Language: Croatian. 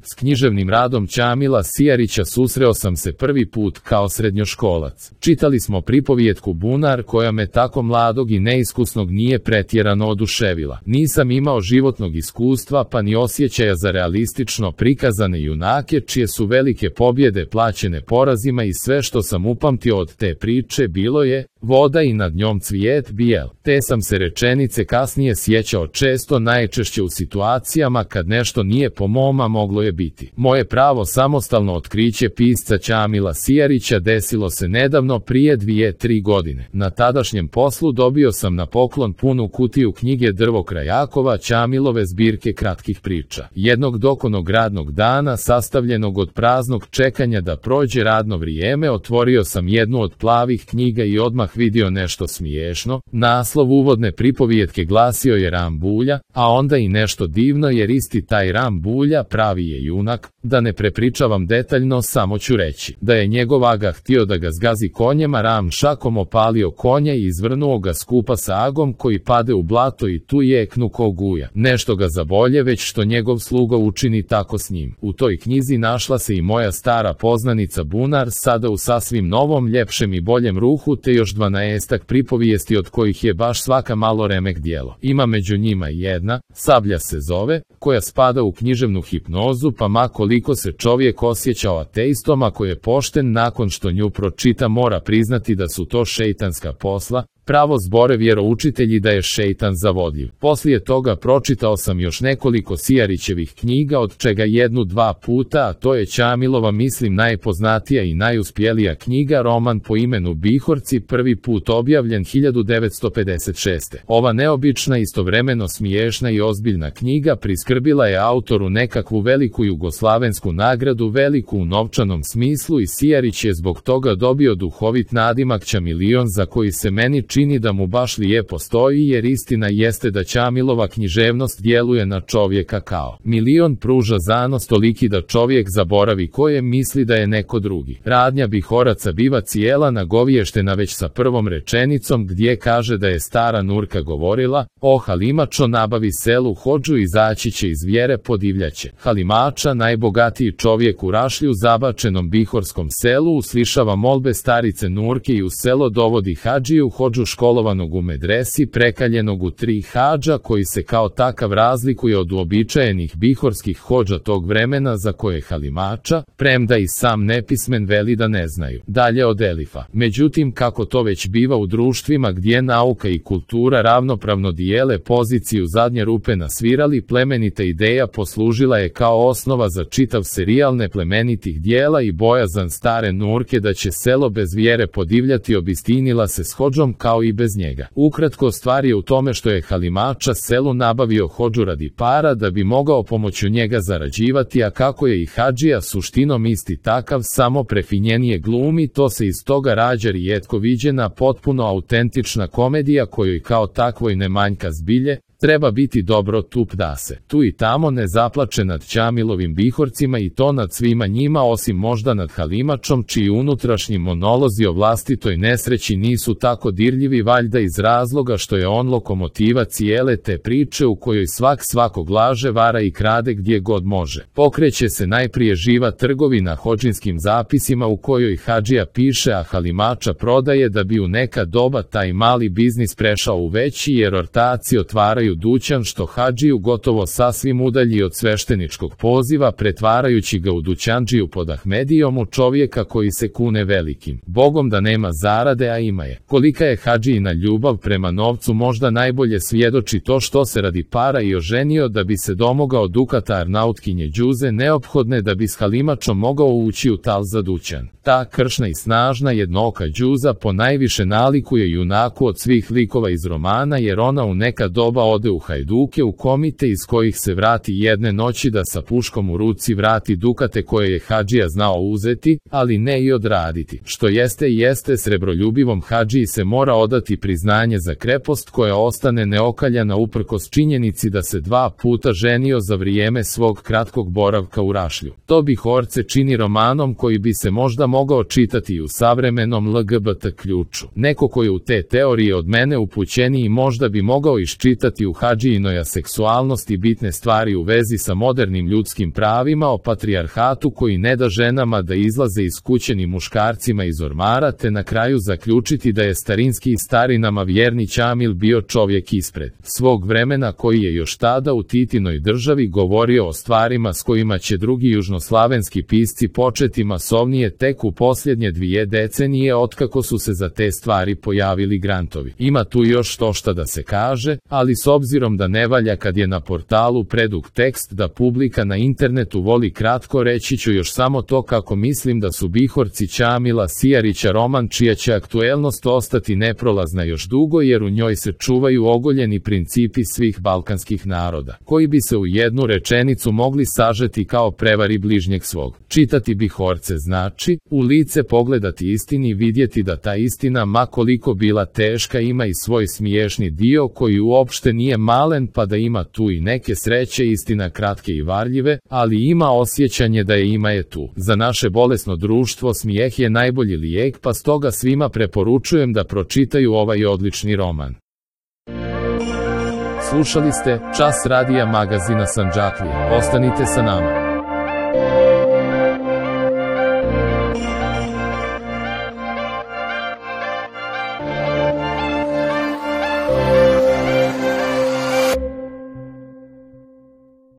S književnim radom Ćamila Sijarića susreo sam se prvi put kao srednjoškolac. Čitali smo pripovijetku Bunar koja me tako mladog i neiskusnog nije pretjerano oduševila. Nisam imao životnog iskustva pa ni osjećaja za realistično prikazane junake čije su velike pobjede plaćene porazima i sve što sam upamtio od te priče bilo je voda i nad njom cvijet bijel. Te sam se rečenice kasnije sjećao često, najčešće u situacijama kad nešto nije po mom, a moglo je biti. Moje pravo samostalno otkriće pisca Ćamila Sijarića desilo se nedavno prije 2-3 godine. Na tadašnjem poslu dobio sam na poklon punu kutiju knjige Drvo Krajakova, Ćamilove zbirke kratkih priča. Jednog dokonog radnog dana, sastavljenog od praznog čekanja da prođe radno vrijeme, otvorio sam jednu od plavih knjiga i odmah vidio nešto smiješno. Naslov uvodne pripovijetke glasio je Ram Bulja, a onda i nešto divno jer isti taj Ram Bulja pravi je junak. Da ne prepričavam detaljno, samo ću reći da je njegov aga htio da ga zgazi konjem, a Ram šakom opalio konja i izvrnuo ga skupa sa agom koji pade u blato i tu jeknu ko guja. Nešto ga zabolje već što njegov sluga učini tako s njim. U toj knjizi našla se i moja stara poznanica Bunar, sada u sasvim novom, ljepšem i boljem ruhu, te još 12 pripovijesti od kojih je baš svaka malo remek djelo. Ima među njima jedna, Sablja se zove, koja spada u književnu hipnozu, pa ma koliko se čovjek osjećao ateistom, ako je pošten nakon što nju pročita mora priznati da su to šeitanska posla. Pravo zbore vjeroučitelji da je šeitan zavodljiv. Poslije toga pročitao sam još nekoliko Sijarićevih knjiga, od čega 1-2 puta, a to je Ćamilova mislim najpoznatija i najuspjelija knjiga, roman po imenu Bihorci, prvi put objavljen 1956. Ova neobična, istovremeno smiješna i ozbiljna knjiga priskrbila je autoru nekakvu veliku jugoslavensku nagradu, veliku u novčanom smislu, i Sijarić je zbog toga dobio duhovit nadimak Ćamilion, za koji se meni čini da mu baš lijepo stoji, jer istina jeste da Ćamilova književnost djeluje na čovjeka kao milion, pruža zanos toliki da čovjek zaboravi ko je, misli da je neko drugi. Radnja Bihoraca biva cijela nagoviještena već sa prvom rečenicom gdje kaže da je stara Nurka govorila: o Halimačo, nabavi selu hodžu, izaći će iz vjere podivljaće. Halimača, najbogatiji čovjek u Rašlju, zabačenom bihorskom selu, uslišava molbe starice Nurke i u selo dovodi hadžiju, hodžu školovanog u medresi, prekaljenog u 3 hadža, koji se kao takav razlikuje od uobičajenih bihorskih hodža tog vremena, za koje Halimača, premda i sam nepismen, veli da ne znaju. Dalje od elifa. Međutim, kako to već biva u društvima gdje nauka i kultura ravnopravno dijele poziciju zadnje rupe na svirali, plemenita ideja poslužila je kao osnova za čitav serijal neplemenitih dijela, i bojazan stare Nurke da će selo bez vjere podivljati obistinila se s hodžom kao i bez njega. Ukratko, stvar je u tome što je Halimača selu nabavio hodžu radi para da bi mogao pomoću njega zarađivati, a kako je i hadžija suštinom isti takav, samo prefinjenije glumi, to se iz toga rađa rijetko viđena, potpuno autentična komedija kojoj kao takvoj ne manjka zbilje. Treba biti dobro tup da se tu i tamo ne zaplače nad Ćamilovim Bihorcima, i to nad svima njima, osim možda nad Halimačom, čiji unutrašnji monolozi o vlastitoj nesreći nisu tako dirljivi, valjda iz razloga što je on lokomotiva cijele te priče, u kojoj svakog laže, vara i krade gdje god može. Pokreće se najprije živa trgovina hodžinskim zapisima u kojoj hadžija piše, a Halimača prodaje, da bi u neka doba taj mali biznis prešao u veći, jer ortaci otvaraju dućan što hadžiju gotovo sasvim udalji od svešteničkog poziva, pretvarajući ga u dućandžiju pod Ahmedijom, u čovjeka koji se kune velikim Bogom da nema zarade, a ima je. Kolika je hadžijina ljubav prema novcu možda najbolje svjedoči to što se radi para i oženio da bi se domogao dukata Arnautkinje Đuze, neophodne da bi s Halimačom mogao ući u tal za dućan. Ta kršna i snažna jednooka Đuza ponajviše nalikuje junaku od svih likova iz romana, jer ona u neka doba ode u hajduke, u komite iz kojih se vrati jedne noći da sa puškom u ruci vrati dukate koje je hadžija znao uzeti, ali ne i odraditi. Što jeste, srebroljubivom hadžiji se mora odati priznanje za krepost koja ostane neokaljana uprkos činjenici da se 2 puta ženio za vrijeme svog kratkog boravka u Rašlju. To Bihorce čini romanom koji bi se možda mogao čitati i u savremenom LGBT ključu. Neko koji u te teorije od mene upućeniji možda bi mogao iščitati u hadžijinoj seksualnosti bitne stvari u vezi sa modernim ljudskim pravima, o patrijarhatu koji ne da ženama da izlaze iz kuće ni muškarcima iz ormara, te na kraju zaključiti da je starinski starinama vjerni Ćamil bio čovjek ispred svog vremena koji je još tada u Titinoj državi govorio o stvarima s kojima će drugi južnoslavenski pisci početi masovnije tek u posljednje 2 decenije otkako su se za te stvari pojavili grantovi. Ima tu još šta da se kaže, ali s obzirom da ne valja kad je na portalu predug tekst da publika na internetu voli kratko, reći ću još samo to kako mislim da su Bihorci Ćamila Sijarića roman čija će aktuelnost ostati neprolazna još dugo, jer u njoj se čuvaju ogoljeni principi svih balkanskih naroda, koji bi se u jednu rečenicu mogli sažeti kao prevari bližnjeg svog. Čitati Bihorce znači u lice pogledati istini, vidjeti da ta istina, ma koliko bila teška, ima i svoj smiješni dio koji uopšte nije malen, pa da ima tu i neke sreće, istina kratke i varljive, ali ima osjećanje da je ima je tu. Za naše bolesno društvo smijeh je najbolji lijek, pa stoga svima preporučujem da pročitaju ovaj odlični roman. Slušali ste Čas radija magazina Sandžaklija. Ostanite sa nama.